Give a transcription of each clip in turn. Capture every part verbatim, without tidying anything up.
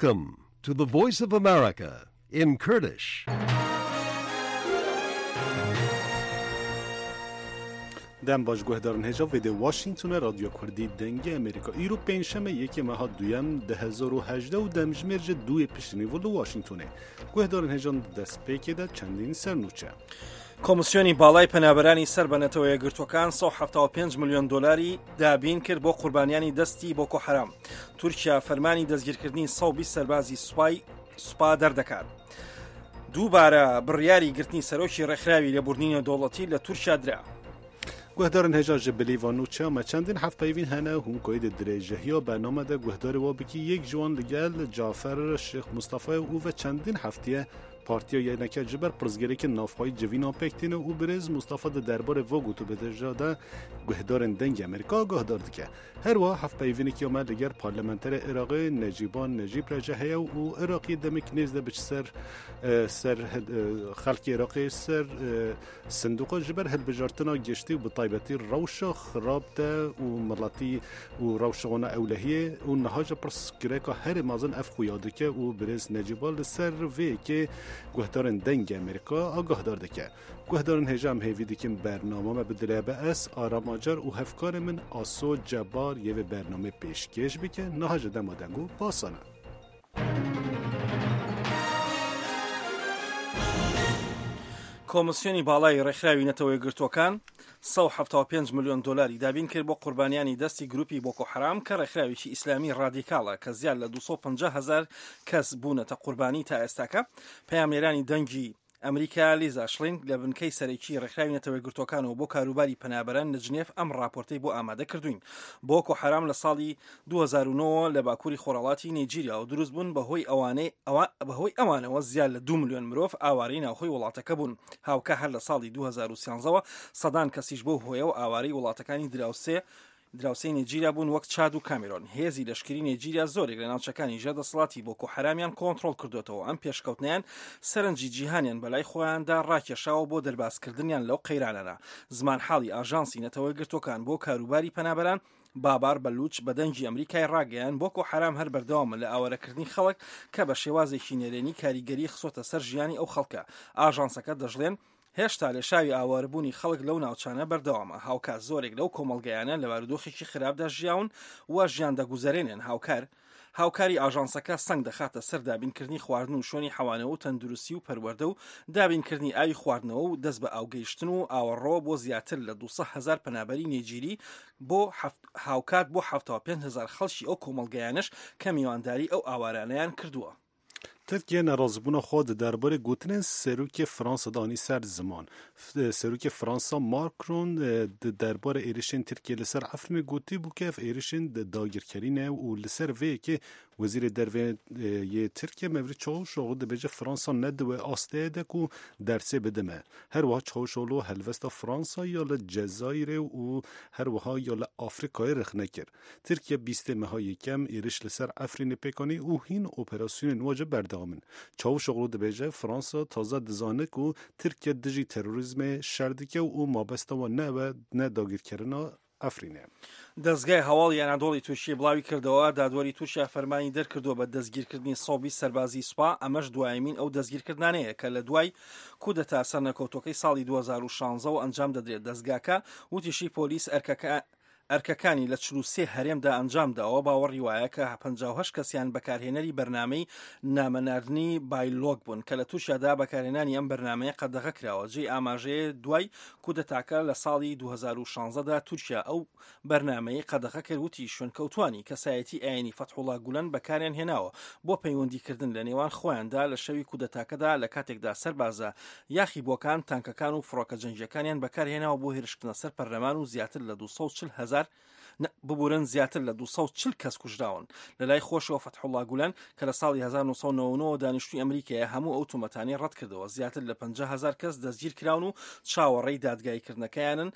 Welcome to the Voice of America in Kurdish. Dem baş guhdarên hêja vê dê Washingtonê Radyo Kurdî Dengê Amerîka îro pêncşeme yekê meha duyem du hezar û hejdeh û demjimêr ji duyê piştînî li Washingtonê. Guhdarên hêjan di destpêkê de çendîn sernûçe. کۆمسیۆنی باڵای پەنابەرانی سەر بە نەتەوە یەکگرتووەکان سەد و حەفتا و پێنج ملیۆن دۆلاری دابین کرد بۆ قوربانیانی دەستی بۆکۆ حەرام. تورکیا فەرمانی دەستگیرکردنی سەد و بیست سەربازی سوپای سوپا دەردەکات. دووبارە بڕیاری گرتنی سەرۆکی ڕێکخراوی لێبوردنی نێودەوڵەتی لە تورکیا درا. گوهدارن هێژا ji bilî van nûçeya me çendîn hevpeyvîn hene hûn koyê di dirêjehiya bername de guhdarê wa bikî yek ji wan li gel Cafer Şêx Mustafayê û ve çendîn heftiye partiya Yeneke ji ber pirsgirêkên navxweyî civîna pêk tîne û birêz Mustafa di derbarê vê gotûbêja de guhdarên Dengê Amerîka guhdar dike. Her wiha hevpeyvînekî me li gel parlamenterê Iraqê Necîba Necîb re jî heye û Iraqê demek nêz de biçe ser ser xelkê Iraqê ser sindoqa ji ber hilbijartina giştî û bi taybetî rewşa xirab de û miletî û rewşa wan ewlehiyê û niha ji pirsgirêka herî mezin ev xuya dike û birêz Necîba li ser vê yekê guhdarên Dengê Amerîka agahdar dike. Guhdarên hêja em hêvî dikin bername me bi dilê be ez Aram Acar û hevkarê min Aso Cebar yê vê bernameyê pêşkêş bike niha ji dema deng û basan e. کۆمسیۆنی باڵای ڕێکخراوی نەتەوە یەکگرتووەکان سەد و حەفتا و پێنج ملیۆن دۆلاری دابین کرد بۆ قوربانیانی دەستی گروپی بۆکۆ حەرام کە ڕێکخراوێکی ئیسلامی ڕادیکاڵە کە زیاد لە دوو سەد و پەنجا هەزار کەس بوونەتە قوربانی تا ئێستاکە. پەیامنێرانی دەنگی ئەمریکا لیزا شلین لە بنکەی سەرەکی ڕێکخراوی نەتەوە یەکگرتووەکانەوە بۆ کاروباری پەنابەران لە جنێف ئەم راپۆرتەی بۆ ئامادە کردوین. بۆکۆ حەرام لە ساڵی دوو هەزار و نۆ لە باکووری خۆرهەڵاتی نیجیریا و دروست بوون بەهۆی ئەوانەی بەهۆی ئەوانەوە زیاد لە دوو ملیۆن مرۆڤ ئاوارەی ناوخۆی وڵاتەکە بوون. هاوکە هەر لە ساڵی دوو هەزار و سیانزەوە سەدان کەسیش بەو هۆیەوە ئاوارەی وڵاتەکانی دراوسێ دراوسێی نێجیریا بوون وەک چاد و کامیرۆن. هێزی لەشکری نێجیریا زۆرێک لە ناوچەکانی ژێر دەسەڵاتی بۆکۆ حەرامیان کۆنترۆڵ کردوێتەوە. ئەم پێشکەوتنیان سەرنجی جیهانیان بەلای خۆیاندا ڕاکێشاوە بۆ دەربازکردنیان لەو قەیرانەدا. زمانحاڵی ئاژانسی نەتەوە یەکگرتووەکان بۆ کاروباری پەنابەران بابار بەلوچ بە دەنگی ئەمریکای ڕاگەیان بۆکۆ حەرام هەر بەردەوامە لە ئاوارەکردنی خەڵک کە بە شێوازێکی نەرێنی کاریگەری خسۆتە سەر ژیانی ئەو خەڵکە. ئاژانسەکە دەژڵێن هێشتا لێشاوی ئاوارەبوونی خەڵک لەو ناوچانە بەردەوامە. هاوکات زۆرێک لەو کۆمەڵگەیانە لە بارودۆخێکی خراپدا ژیاون و ژیان دەگوزەرێنن. هاوکار هاوکاری ئاژانسەکە سەنگ دەخاتە سەر دابینکردنی خواردن و شوێنی حەوانەوە و تەندروستی و پەروەردە و دابینکردنی ئاوی خواردنەوە و دەست بە ئاوگەیشتن و ئاوەڕۆ بۆ زیاتر لە دوو سەد هەزار پەنابەری نێجیری بۆ هاوکات بۆ حەفتا و پێنج هەزار خەڵکی ئەو کۆمەڵگەیانەش کە میوانداری ئەو ئاوارانەیان کردووە. Tirkiye nerazîbûna xwe di derbarê gotinên Serokê Fransa de anî ser ziman. Serokê Fransa Macron di derbarê êrişên Tirkiye li ser Efrînê gotîbû ku ev êrişên dagirkerî ne û li ser vê yekê Wezîrê Derve yê Tirkiye Mevlüt Çavuşoğlu dibêje Fransa ne di wê asteyê de ku dersê bide me. Her wiha Çavuşoğlu helwesta Fransa ya li Cezayirê û her wiha ya li Afrikayê rexne kir. Tirkiye bîstê meha yekem êriş li ser Efrînê pêk anî û hîn operasyonên we jî berdewam in. Çavuşoğlu dibêje Fransa taze dizane ku Tirkiye dijî terorîzmê şer dike û mabesta wan ne ew e ne dagirkerina Efrînê. دەستگای هەواڵی ئەنادۆڵی تورکیە بڵاوی کردەوە دادوەری تورکیا فەرمانی دەرکردووە بە دەستگیرکردنی سەد و بیست سەربازی سوپا. ئەمەش دوایمین ئەو دەستگیرکردنانەیە کە لە دوای کودەتا سەرنەکەوتوەکەی ساڵی دوو هەزار و شانزەوە ئەنجام دەدرێت. دەستگاکە وتیشی پۆلیس ئەرکەکە ئەرکەکانی لە چل و سێ هەرێمدا ئەنجام داوە. باوەڕی وایە کە پەنجا و هەشت کەسیان بەکارهێنەری بەرنامەی نامەناردنی بایلۆگ بوون کە لە تورکیادا بەکارهێنانی ئەم بەرنامەیە قەدەغە کراوە. جێی ئاماژەیە دوای کودەتاکە لە ساڵی دوو هەزار و شانزەدا تورکیا ئەو بەرنامەی قەدەغە کرد وتی شوێنکەوتوانی کەسایەتی ئاینی فەتحوڵا گولەن بەکاریان هێناوە بۆ پەیوەندیکردن لە نێوان خۆیاندا لە شەوی کودەتاکەدا لە کاتێکدا سەربازە یاخیبووەکان تانکەکان و فڕۆکە جەنگیەکانیان بەکارهێناوە بۆ هێرشکردنە سەر پەرلەمان و زیاتر لە دوو سەد و چل هەزار ببورن زیاتر لە دوو سەد و چل کەس کوژراون. لە لای خۆشەوە فەتحوڵا گولەن کە لە ساڵی هەزار و نۆ سەد و نەوەد و نۆ دانیشتووی ئەمریکایە هەموو ئەو تۆمەتانەی ڕەت کردەوە. زیاتر لە پەنجا هەزار کەس دەستگیر کراون و چاوەڕێی دادگاییکردنەکەیانن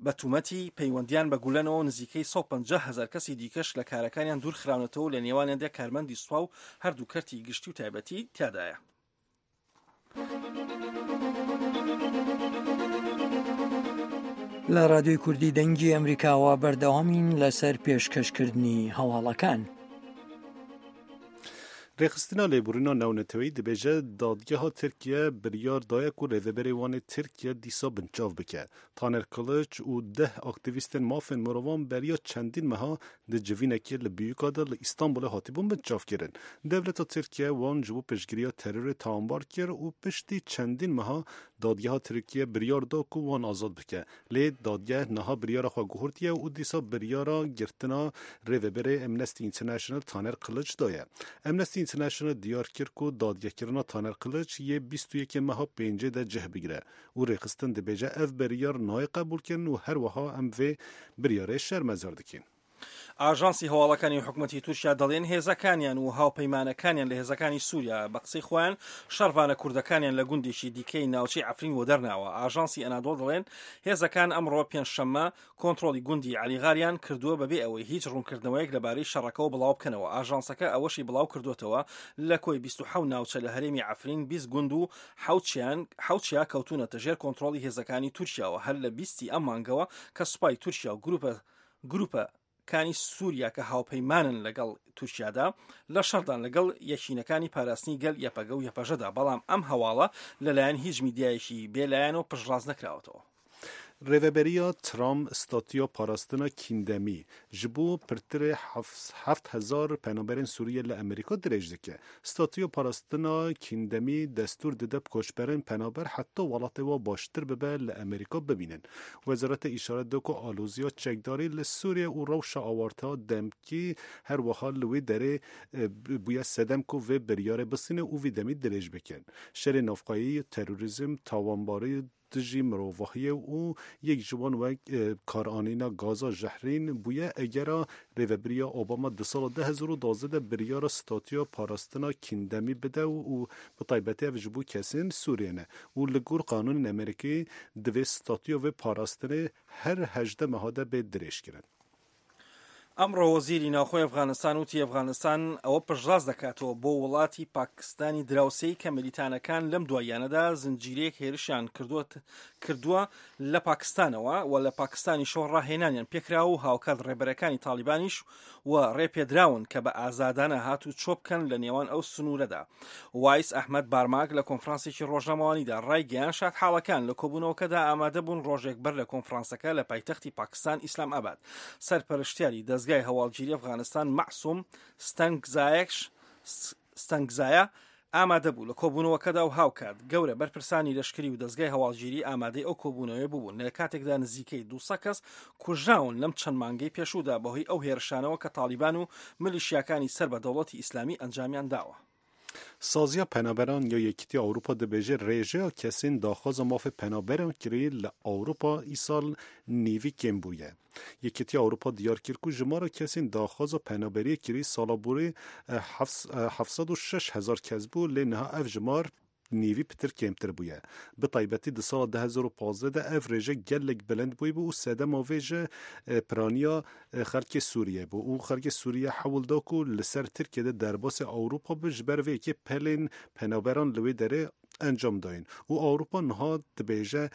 بە تومەتی پەیوەندیان بە گولەنەوە. نزیکەی سەد و پەنجا هەزار کەسی دیکەش لە کارەکانیان دوور خراونەتەوە لە نێوانیاندا کارمەندی سوپا و هەردوو کەرتی گشتی و تایبەتی تیادایە. لە رادیۆی کوردی دەنگی ئەمریکاوە بەردەوامین لەسەر پێشکەشکردنی هەواڵەکان. Rêxistina lêborîna navneteweyî dibêje dadgeha Tirkiye biryar daye ku rêveberê wan ê Tirkiye dîsa binçav bike. Taner Kılıç û deh aktîvîstên mafên mirovan beriya çendîn meha di civînekê li Büyükada li Îstanbulê hatibûn binçavkirin. Dewleta Tirkiye wan ji bo piştgiriya terorê tawanbar kir û piştî çendîn meha dadgeha Tirkiye biryar da ku wan azad bike. Lê dadgeh niha biryara xwe guhertiye û dîsa biryara girtina rêveberê Amnesty International Taner Kılıç daye. Amnesty International diyar kir ku dadgehkirina Taner Kılıç yê bîst û yekê meha pêncê de cih bigire û rêxistin dibêje ev biryar nayê qebûlkirin û her wiha em vê biryarê şermezar dikin. ئاژانسی هەواڵەکانی حکوومەتی تورکیا دەڵێن هێزەکانیان و هاوپەیمانەکانیان لە هێزەکانی سووریا بە قسەی خۆیان شەڕڤانە کوردەکانیان لە گوندێکی دیکەی ناوچەی عەفرین وەدەرناوە. ئاژانسی ئەنادۆڵ دەڵێن هێزەکان ئەمڕۆ پێنجشەممە کۆنترۆڵی گوندی عەلیغاریان کردووە بەبێ ئەوەی هیچ ڕوونکردنەوەیەک لەبارەی شەڕەکەوە بڵاو بکەنەوە. ئاژانسەکە ئەوەشی بڵاو کردوێتەوە لە کۆی بیست و حەوت ناوچە لە هەرێمی عەفرین بیست گوند و حەوت چیا کەوتونەتە ژێر کۆنترۆڵی هێزەکانی تورکیاوە. هەر لە بیستی ئەم مانگەوە کە سوپای تورکیا و گروپە گروپە کانی سووریا کە هاوپەیمانن لەگەڵ تورکیادا لە شەڕدان لەگەڵ یەکینەکانی پاراستنی گەل یەپەگە و یەپەژەدا، بەڵام ئەم هەواڵە لەلایەن هیچ میدیایەکی بێلایەن و پشتڕاست نەکراوەتەوە. Rêveberiya Trump statuya parastina kîndemî ji bo pirtirê heft hezar penaberên Sûriye li Amerîka dirêj dike. Statuya parastina kîndemî destûr dide koçberên penaber heta welatê wan baştir bibe li Amerîka bibînin. Wezaretê îşaret da ku aloziya çekdarî li Sûriye û rewşa awarteya demkî her wiha li wê derê bûye sedem ku vê biryarê bisîne û vî demî dirêj bikin. Şerê navxweyî, terorîzm, tawanbarî dijî mirovahiyê û yek ji wan wek karanîna gaza jehrîn bûye egera rêveberiya Obama di sala du hezar û duwazdeh de biryara statuya parastina kîndemî bide û bi taybetî ev ji bo kesên Sûriyê ne û li gor qanûnên Amerîkî divê statuya vê parastinê her hejdeh meha de bê dirêjkirin. ئەمڕۆ وەزیری ناوخۆی ئەفغانستان وتی ئەفغانستان ئەوە پشتڕاست دەکاتەوە بۆ وڵاتی پاکستانی دراوسێی کە ملیتانەکان لەم دواییانەدا زنجیرەیەک هێرشیان کردووە لە پاکستانەوە و لە پاکستانی شۆڕ ڕاهێنانیان پێکرا و هاوکات ڕێبەرەکانی تالیبانیش و ڕێپێدراون کە بە ئازادانە هات و چۆ بکەن لە نێوان ئەو سنوورەدا. وایس ئەحمەد بارماک لە کۆنفرانسێکی ڕۆژنامەوانیدا ڕایگەیاند شادحاڵەکان لە کۆبوونەوەکەدا ئامادە بوون ڕۆژێک بەر لە کۆنفرانسەکە لە پایتەختی پاکستان ئیسلام ئاباد. سەرپەرشتیاری دەزگای هەواڵگیری ئەفغانستان مەعسوم ستەنگزایەکش ستەنگزایە ئامادە بوو لە کۆبوونەوەکەدا و هاوکات گەورە بەرپرسانی لەشکری و دەزگای هەواڵگیری ئامادەی ئەو کۆبوونەوەی بوون لە کاتێکدا نزیکەی دووسەد کەس کوژراون لەم چەند مانگەی پێشوودا بەهۆی ئەو هێرشانەوە کە تالیبان و ملیشیاکانی سەر بە دەوڵەتی ئیسلامی ئەنجامیان داوە. سازیا پەنابەران یا یەکێتی ئەوروپا دەبێژێ ڕێژەیە کەسên daxwaza mafê penaberan kirî li Ewropa îsal nêvî kêm bûye. Yekîtiya Ewropa diyar kir ku jimara kesên daxwaza penaberiyê kirî sala borî heft sed û şeş hezar kes bû lê niha ev jimar nêvî pitir kêmtir bûye. Bi taybetî di sala du hezar û pazdeh de ev rêje gelek bilind bûye bû û sedema vê ji piraniya xelkê Sûriye bû û xelkê Sûriye hewl da ku li ser Tirkiye de derbasê Ewropa bi ji ber vê yekê pelên penaberan li wê derê encam dayîn û Ewropa niha dibêje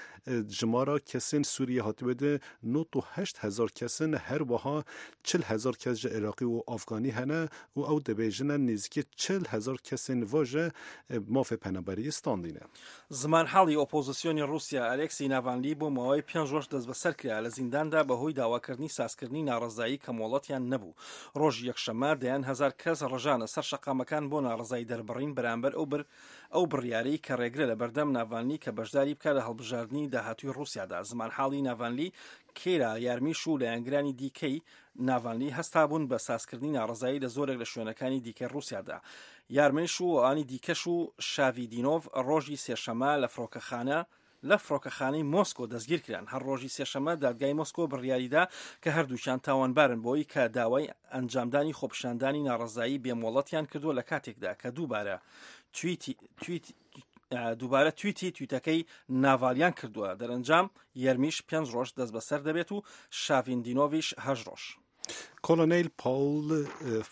jimara kesên Sûriye hatibe de nod û heşt hezar kesin her wiha çil hezar kes ji Iraqî û Afganî hene û ew dibêjine nêzîkî çil hezar kesên va ji mafê penaberiyê standîne. زمانحاڵی ئۆپۆزیسیۆنی ڕووسیا ئەلێکسی ناڤانلی بۆ ماوەی پێنج ڕۆژ دەستبەسەر کرا لە زینداندا بەهۆی داواکردنی سازکردنی ناڕەزایی کە مۆڵەتیان نەبوو. ڕۆژی یەکشەممە دەیان هەزار کەس ڕژانە سەر شەقامەکان بۆ ناڕەزایی دەربڕین بەرامبەر ئەو بر ئەو بڕیارەی کە ڕێگرە لە بەردەم ناڤانلی کە بەشداری بکات لە هەڵبژاردنی داهاتووی ڕووسیادا. زمانحاڵی ناڤانلی کێرا یارمیش و لایەنگرانی دیکەی ناڤانلی هەستابوون بە سازکردنی ناڕەزایی لە زۆرێک لە شوێنەکانی دیکەی ڕووسیادا. یارمیش و ئەوانی دیکەش و شاڤیدینۆڤ ڕۆژی سێشەممە لە فڕۆکەخانە لە فڕۆکەخانەی مۆسکۆ دەستگیر کران. هەر ڕۆژی سێشەممە دادگای مۆسکۆ بڕیاریدا کە هەردووکیان تاوانبارن بۆی کە داوای ئەنجامدانی خۆپیشاندانی ناڕەزایی بێمۆڵەتیان کردووە لە کاتێکدا کە دووبارە تویتی تویت دووبارە تویتی تویتەکەی ناڤالیان کردووە. دەرەنجام یەرمیش پێنج ڕۆژ دەستبەسەر دەبێت و شاڤیندینۆڤیش هەشت ڕۆژ. کۆلۆنیل پاول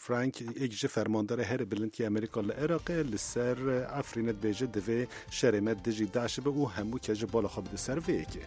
فرانک یەک ji fermandarê herî bilind yê Amerîka li Iraqê li ser Efrînê dibêje divê şerê me dijî DAIŞ be û hemû kes ji bala xwe bide ser vê yekê.